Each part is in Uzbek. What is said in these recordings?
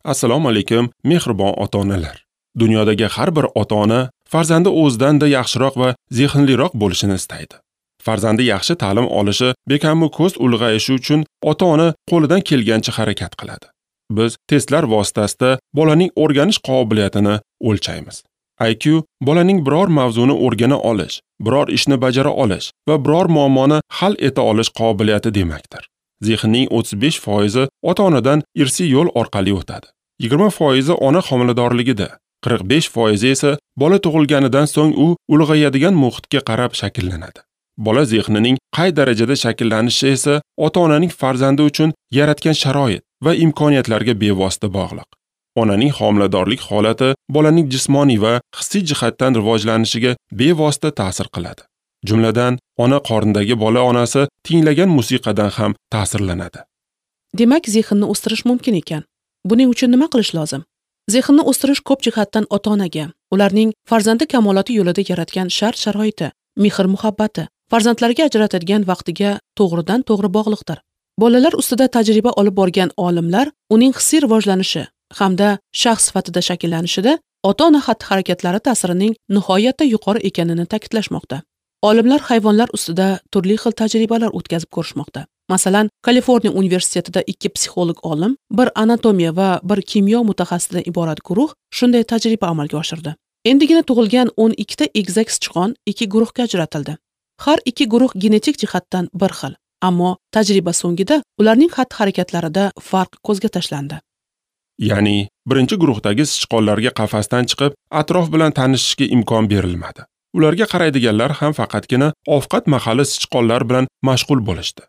Assalomu alaykum, mehribon ota-onalar. Dunyodagi har bir ota-ona farzandi o'zidan-da yaxshiroq va zehnliroq bo'lishini istaydi. Farzandi yaxshi ta'lim olishi, bekamu ko'z ulg'ayishi uchun ota-ona qo'lidan kelgancha harakat qiladi. Biz testlar vositasida bolaning o'rganish qobiliyatini o'lchaymiz. IQ bolaning biror mavzuni o'rgana olish, biror ishni bajara olish va biror muammoni hal eta olish qobiliyati demakdir. Zehnning 35% ota-onadan irsiy yo'l orqali o'tadi. 20% ona homiladorligida, 45% esa bola tug'ilganidan so'ng u ulg'ayadigan muhitga qarab shakllanadi. Bola zehnining qay darajada shakllanishi esa ota-onaning farzandi uchun yaratgan sharoit va imkoniyatlarga bevosita bog'liq. Onaning homiladorlik holati bolaning jismoniy va hissiy jihatdan rivojlanishiga bevosita ta'sir qiladi. Jumladan, ona qornidagi bola onasi tinglagan musiqadan ham ta'sirlanadi. Demak, zehnni o'stirish mumkin ekan. Buning uchun nima qilish lozim? Zehnni o'stirish ko'p jihatdan ota-onaga, ularning farzandi kamoloti yo'lida yaratgan shart-sharoiti, mehr-muhabbati, farzandlarga ajratadigan vaqtiga to'g'ridan-to'g'ri bog'liqdir. Bolalar ustida tajriba olib borgan olimlar uning hissiy rivojlanishi hamda shaxs sifatida shakllanishida ota-ona xatti-harakatlari ta'sirining nihoyatda yuqori ekanini ta'kidlashmoqda. Olimlar hayvonlar ustida turli xil tajribalar o'tkazib ko'rishmoqda. Masalan, Kaliforniya universitetida 2 psixolog olim, bir anatomiya va bir kimyo mutaxassisidan iborat guruh shunday tajriba amalga oshirdi. Endigina tug'ilgan 12 ta egizak sichqon 2 guruhga ajratildi. Har ikki guruh genetik jihatdan bir xil, ammo tajriba so'ngida ularning xatti-harakatlarida farq ko'zga tashlandi. Ya'ni, birinchi guruhdagi sichqonlarga qafasdan chiqib, atrof bilan tanishishga imkon berilmadi. Ularga qaraydiganlar ham faqatgina ovqat mahali sichqonlar bilan mashg'ul bo'lishdi.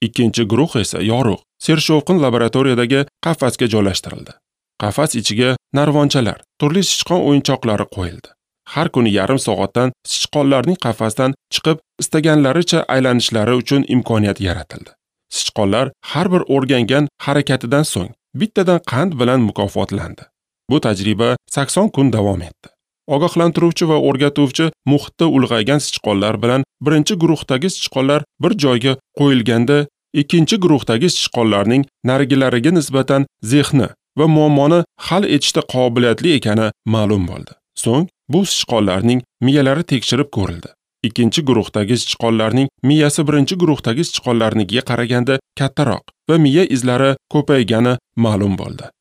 Ikkinchi guruh esa yorug', sershovqin laboratoriyadagi qafasga joylashtirildi. Qafas ichiga narvonchalar, turli sichqon o'yinchoqlari qo'yildi. Har kuni yarim soatdan sichqonlarning qafasdan chiqib, istaganlaricha aylanishlari uchun imkoniyat yaratildi. Sichqonlar har bir o'rgangan harakatidan so'ng bittadan qand bilan mukofotlandi. Bu tajriba 80 kun davom etdi. Ogohlantiruvchi va o'rgatuvchi muhitda ulg'aygan sichqonlar bilan birinchi guruhdagi sichqonlar bir joyga qo'yilganda, ikkinchi guruhdagi sichqonlarning narigilariga nisbatan zehni va muammoni hal etishda qobiliyatli ekani ma'lum bo'ldi. So'ng bu sichqonlarning miyalari tekshirib ko'rildi. Ikkinchi guruhdagi sichqonlarning miyasi birinchi guruhdagi sichqonlarnikiga qaraganda kattaroq va miya izlari ko'paygani ma'lum bo'ldi.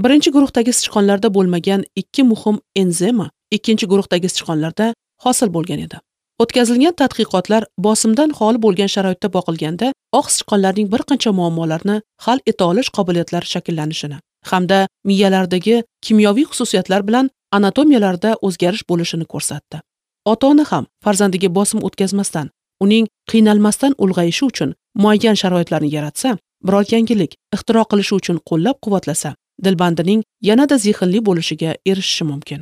Birinchi guruhdagi sichqonlarda bo'lmagan 2 muhim enzima ikkinchi guruhdagi sichqonlarda hosil bo'lgan edi. O'tkazilgan tadqiqotlar bosimdan xoli bo'lgan sharoitda boqilganda oq sichqonlarning bir qancha muammolarni hal eta olish qobiliyatlari shakllanishini hamda miyalardagi kimyoviy xususiyatlar bilan anatomiyalarda o'zgarish bo'lishini ko'rsatdi. Ota-ona ham farzandiga bosim o'tkazmasdan, uning qiynalmasdan ulg'ayishi uchun muayyan sharoitlarni yaratsa, biror yangilik ixtiro qilishi uchun qo'llab-quvvatlasa, dilbandining yanada zehnli bo'lishiga erishishi mumkin.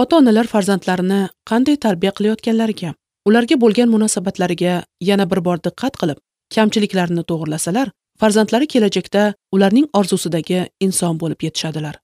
Ota-onalar farzandlarini qanday tarbiya qilayotganlariga, ularga bo'lgan munosabatlariga yana bir bor diqqat qilib, kamchiliklarni to'g'rilasalar, farzandlari kelajakda ularning orzusidagi inson bo'lib yetishadilar.